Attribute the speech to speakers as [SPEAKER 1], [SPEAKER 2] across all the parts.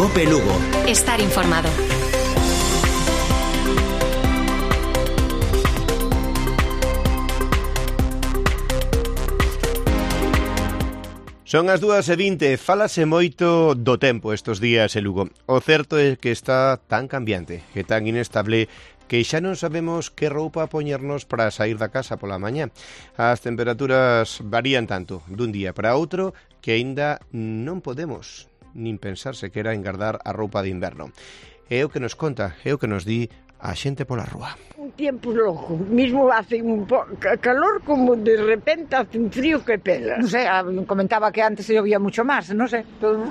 [SPEAKER 1] COPE Lugo.
[SPEAKER 2] Estar informado.
[SPEAKER 3] Son as 2:20, fálase moito do tempo estes días en Lugo. O certo é que está tan cambiante e tan inestable que xa non sabemos que roupa poñernos para sair da casa pola mañá. As temperaturas varían tanto dun día para outro que aínda non podemos nin pensar sequera en guardar a roupa de inverno. É o que nos conta, é o que nos di a xente pola rúa.
[SPEAKER 4] Un tiempo loco, mismo hace un calor como de repente hace un frío que pela.
[SPEAKER 5] No sé, comentaba que antes se llovía mucho más, no sé,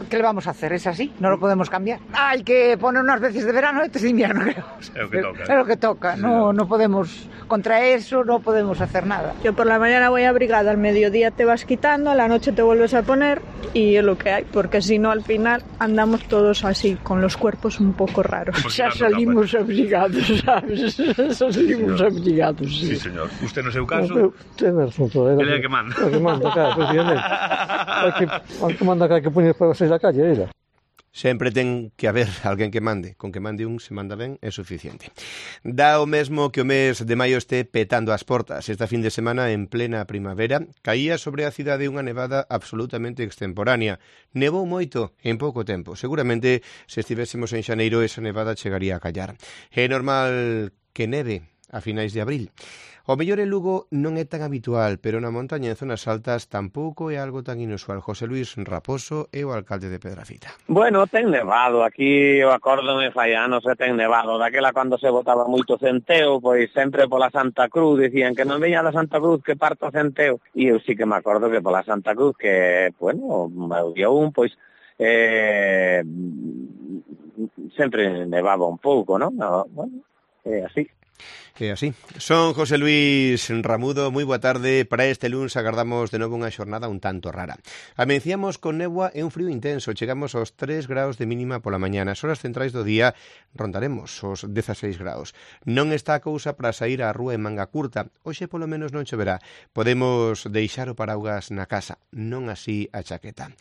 [SPEAKER 5] ¿qué le vamos a hacer? Es así, no lo podemos cambiar. Hay que poner unas veces de verano y otras de invierno, creo.
[SPEAKER 6] Es lo que toca.
[SPEAKER 5] Es lo que toca, no podemos, contra eso no podemos hacer nada.
[SPEAKER 7] Yo por la mañana voy abrigada, al mediodía te vas quitando, a la noche te vuelves a poner y es lo que hay, porque si no al final andamos todos así, con los cuerpos un poco raros.
[SPEAKER 4] Ya salimos abrigados, ¿sabes? Salimos abrigados, sí.
[SPEAKER 6] Sí, señor. Usted no seu caso?
[SPEAKER 8] Ten razón,
[SPEAKER 6] Ele é que manda.
[SPEAKER 8] É que manda, claro, precisamente. Hai que manda que poñer para sair da calle, era.
[SPEAKER 3] Sempre ten que haber alguén que mande. Con que mande un, se manda ben, é suficiente. Dá o mesmo que o mes de maio este petando as portas. Esta fin de semana, en plena primavera, caía sobre a cidade unha nevada absolutamente extemporánea. Nevou moito en pouco tempo. Seguramente, se estivésemos en xaneiro, esa nevada chegaría a callar. É normal que neve a finais de abril. O mellor en Lugo non é tan habitual, pero na montaña en zonas altas tampouco é algo tan inusual. José Luis Raposo é o alcalde de Pedrafita.
[SPEAKER 9] Bueno, ten nevado, aquí o acórdome fai anos e ten nevado. Daquela cando se botaba moito centeo, pois sempre pola Santa Cruz dicían que non veña da Santa Cruz que parta o centeo. E eu sí que me acordo que pola Santa Cruz que, bueno, o día un, pois sempre nevaba un pouco, non? Bueno, é así.
[SPEAKER 3] É así. Son José Luis Ramudo, moi boa tarde. Para este luns agardamos de novo unha xornada un tanto rara. Amenciamos con néboa e un frío intenso. Chegamos aos 3 graus de mínima pola mañá. Nas horas centrais do día rondaremos os 16 graus. Non está a cousa para sair á rúa en manga curta. Hoxe polo menos non choverá. Podemos deixar o paraugas na casa, non así a chaqueta.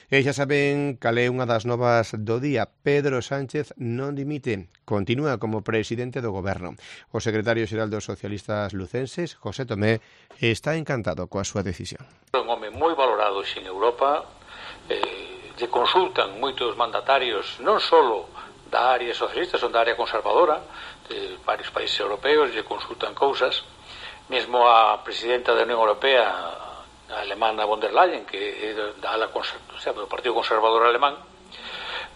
[SPEAKER 3] E xa saben cal é unha das novas do día. Pedro Sánchez non dimite. Continúa como presidente do goberno. O secretario xeral dos socialistas lucenses, José Tomé, está encantado coa súa decisión.
[SPEAKER 10] Un home moi valorado en Europa, lle consultan moitos mandatarios, non só da área socialista, son da área conservadora, de varios países europeos, lle consultan cousas, mesmo a presidenta da Unión Europea, a alemana von der Leyen, que é do Partido Conservador Alemán,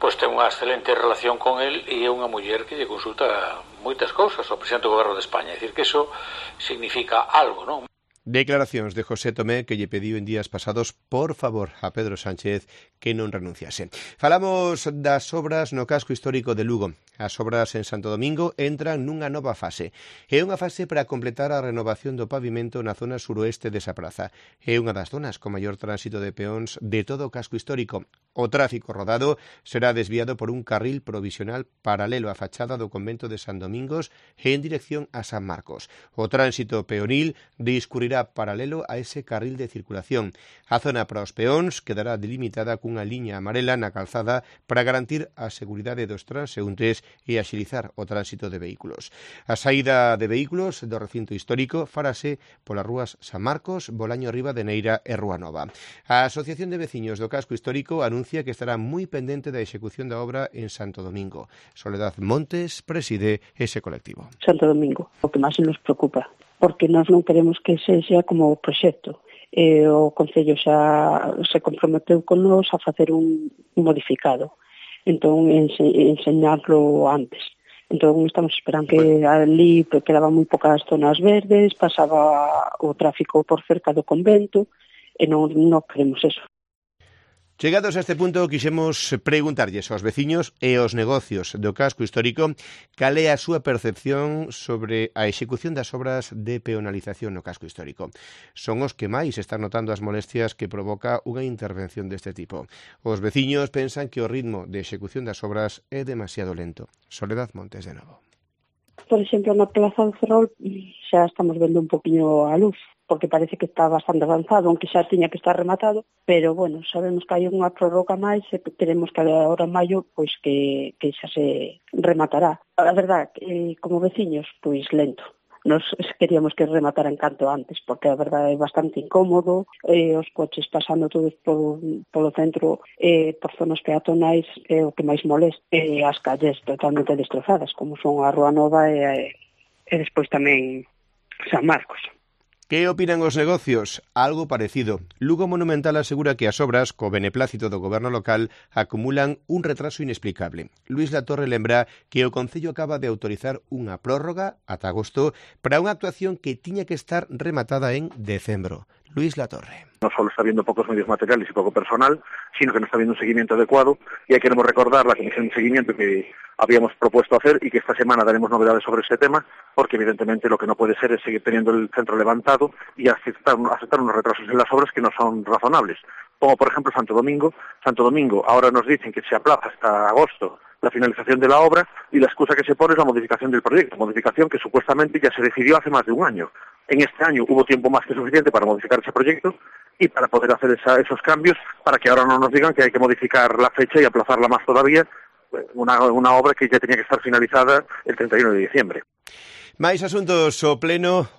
[SPEAKER 10] pois ten unha excelente relación con el e é unha muller que lle consulta moitas cousas ao presidente do goberno de España. É dicir, que iso significa algo, non?
[SPEAKER 3] Declaracións de José Tomé que lle pediu en días pasados, por favor, a Pedro Sánchez que non renunciase. Falamos das obras no casco histórico de Lugo. As obras en Santo Domingo entran nunha nova fase. É unha fase para completar a renovación do pavimento na zona suroeste desa praza. É unha das zonas con maior tránsito de peóns de todo o casco histórico. O tráfico rodado será desviado por un carril provisional paralelo á fachada do convento de San Domingos e en dirección a San Marcos. O tránsito peonil discurrirá paralelo a ese carril de circulación. A zona para os peóns quedará delimitada cunha liña amarela na calzada para garantir a seguridade dos transeúntes e axilizar o tránsito de vehículos. A saída de vehículos do recinto histórico farase polas rúas San Marcos, Bolaño Ribadeneira e Rúa Nova. A Asociación de Veciños do Casco Histórico anuncia que estará moi pendente da execución da obra en Santo Domingo. Soledad Montes preside ese colectivo.
[SPEAKER 11] Santo Domingo, o que máis nos preocupa, porque nós non queremos que sexa como o proxecto. O Concello xa se comprometeu con nós a facer un modificado, entón enseñarlo antes. Entón estamos esperando que ali quedaban moi pocas zonas verdes, pasaba o tráfico por cerca do convento e non queremos eso.
[SPEAKER 3] Chegados a este punto, quixemos preguntarlles aos veciños e aos negocios do casco histórico cal é a súa percepción sobre a execución das obras de peonalización no casco histórico. Son os que máis están notando as molestias que provoca unha intervención deste tipo. Os veciños pensan que o ritmo de execución das obras é demasiado lento. Soledad Montes de novo.
[SPEAKER 11] Por exemplo, na Plaza do Ferrol xa estamos vendo un poquinho a luz. porque parece que está bastante avanzado, aunque xa tiña que estar rematado, pero bueno, sabemos que hai unha prórroga máis e queremos que agora en maio pois que xa se rematará. A verdad, como veciños, pois lento. Nos queríamos que remataran canto antes, porque a verdade é bastante incómodo, os coches pasando todos polo centro, por zonas peatonais, o que máis molesta, as calles totalmente destrozadas, como son a Rúa Nova e despois tamén San Marcos.
[SPEAKER 3] Que opinan os negocios? Algo parecido. Lugo Monumental asegura que as obras, co beneplácito do goberno local, acumulan un retraso inexplicable. Luís Latorre lembra que o Concello acaba de autorizar unha prórroga ata agosto para unha actuación que tiña que estar rematada en decembro. Luís Latorre.
[SPEAKER 1] No solo está habiendo pocos medios materiales y poco personal, sino que no está habiendo un seguimiento adecuado, y ahí queremos recordar la comisión de seguimiento que habíamos propuesto hacer y que esta semana daremos novedades sobre ese tema, porque evidentemente lo que no puede ser es seguir teniendo el centro levantado y aceptar unos retrasos en las obras que no son razonables. Como por ejemplo Santo Domingo. Santo Domingo ahora nos dicen que se aplaza hasta agosto la finalización de la obra y la excusa que se pone es la modificación del proyecto, modificación que supuestamente ya se decidió hace más de un año. En este año hubo tiempo más que suficiente para modificar ese proyecto y para poder hacer esos cambios, para que ahora no nos digan que hay que modificar la fecha y aplazarla más todavía, una obra que ya tenía que estar finalizada el 31 de diciembre.
[SPEAKER 3] Máis asuntos, o pleno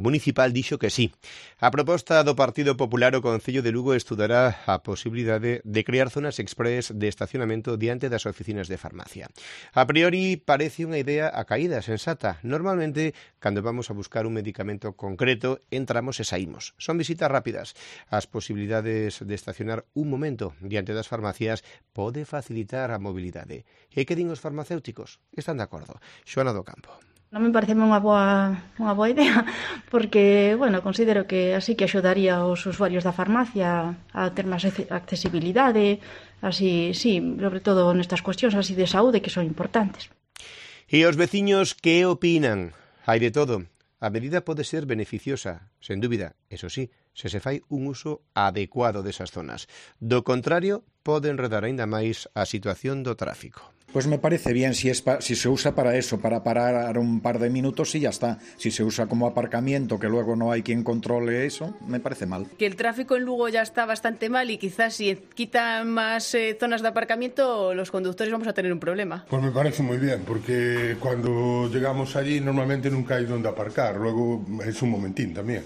[SPEAKER 3] municipal dixo que sí. A proposta do Partido Popular, o Concello de Lugo estudará a posibilidade de crear zonas express de estacionamento diante das oficinas de farmacia. A priori parece unha idea a caída, sensata. Normalmente, cando vamos a buscar un medicamento concreto, entramos e saímos. Son visitas rápidas. As posibilidades de estacionar un momento diante das farmacias pode facilitar a mobilidade. E que din os farmacéuticos? Están de acordo. Xoana do Campo.
[SPEAKER 2] Non me parece unha boa idea, porque, bueno, considero que así que axudaría aos usuarios da farmacia a ter máis accesibilidade, así, sí, sobre todo nestas cuestións así de saúde que son importantes.
[SPEAKER 3] E os veciños que opinan? Hai de todo. A medida pode ser beneficiosa, sen dúbida, eso sí, se fai un uso adecuado desas zonas. Do contrario, pode enredar aínda máis a situación do tráfico.
[SPEAKER 12] Pues me parece bien si se usa para eso, para parar un par de minutos y ya está. Si se usa como aparcamiento, que luego no hay quien controle eso, me parece mal.
[SPEAKER 13] Que el tráfico en Lugo ya está bastante mal y quizás si quitan más zonas de aparcamiento, los conductores vamos a tener un problema.
[SPEAKER 14] Pues me parece muy bien, porque cuando llegamos allí normalmente nunca hay donde aparcar, luego es un momentín también.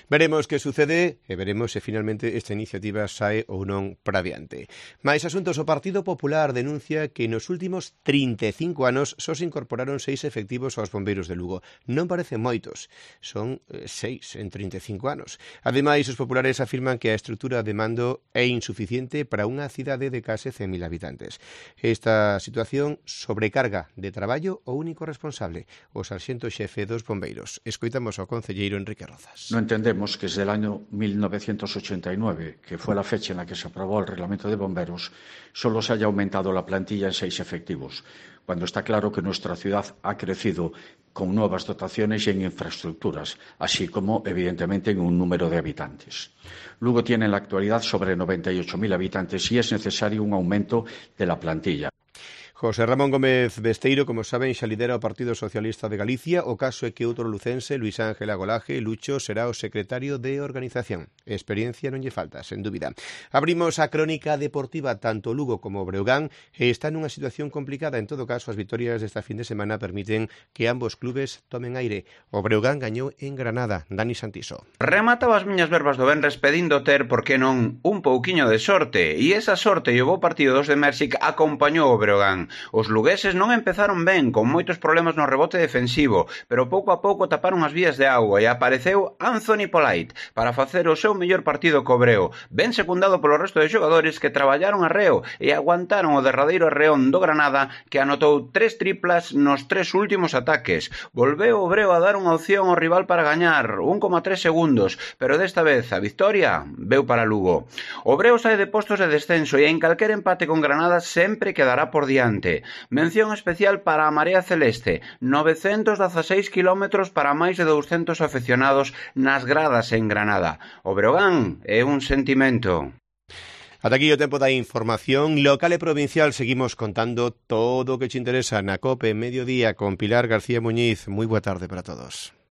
[SPEAKER 3] Veremos que sucede e veremos se finalmente esta iniciativa sae ou non para diante. Mais asuntos, o Partido Popular denuncia que nos últimos 35 anos só se incorporaron 6 efectivos aos bombeiros de Lugo. Non parecen moitos, son 6 en 35 anos. Ademais, os populares afirman que a estrutura de mando é insuficiente para unha cidade de case 100.000 habitantes. Esta situación sobrecarga de traballo o único responsable, o sarxento xefe dos bombeiros. Escoitamos ao concelleiro Enrique Rozas.
[SPEAKER 15] No entendemos que desde el año 1989, que fue la fecha en la que se aprobó el reglamento de bomberos, solo se haya aumentado la plantilla en 6 efectivos, cuando está claro que nuestra ciudad ha crecido con nuevas dotaciones y en infraestructuras, así como, evidentemente, en un número de habitantes. Lugo tiene en la actualidad sobre 98.000 habitantes y es necesario un aumento de la plantilla.
[SPEAKER 3] José Ramón Gómez Besteiro, como saben, xa lidera o Partido Socialista de Galicia. O caso é que outro lucense, Luis Ángel Agolaje, Lucho, será o secretario de organización. Experiencia non lle falta, sen dúbida. Abrimos a crónica deportiva. Tanto Lugo como Breogán están nunha situación complicada. En todo caso, as vitorias desta fin de semana permiten que ambos clubes tomen aire. O Breogán gañou en Granada. Dani Santiso.
[SPEAKER 16] Remataba as miñas verbas do venres pedindo ter, por que non, un pouquiño de sorte. E esa sorte e o bo partido dos de Mérxic acompañou o Breogán. Os lugueses non empezaron ben, con moitos problemas no rebote defensivo, pero pouco a pouco taparon as vías de auga e apareceu Anthony Polite para facer o seu mellor partido co Breo, ben secundado polo resto de xogadores que traballaron arreo e aguantaron o derradeiro arreón do Granada, que anotou 3 triplas nos 3 últimos ataques. Volveu o Breo a dar unha opción ao rival para gañar, 1,3 segundos, pero desta vez a victoria veu para Lugo. O Breo sae de postos de descenso e en calquer empate con Granada sempre quedará por diante. Mención especial para a Marea Celeste, 916 kilómetros para máis de 200 aficionados nas gradas en Granada. O Breogán é un sentimento.
[SPEAKER 3] Ata aquí o tempo da información local e provincial. Seguimos contando todo o que te interesa na COPE Mediodía con Pilar García Muñiz. Moi boa tarde para todos.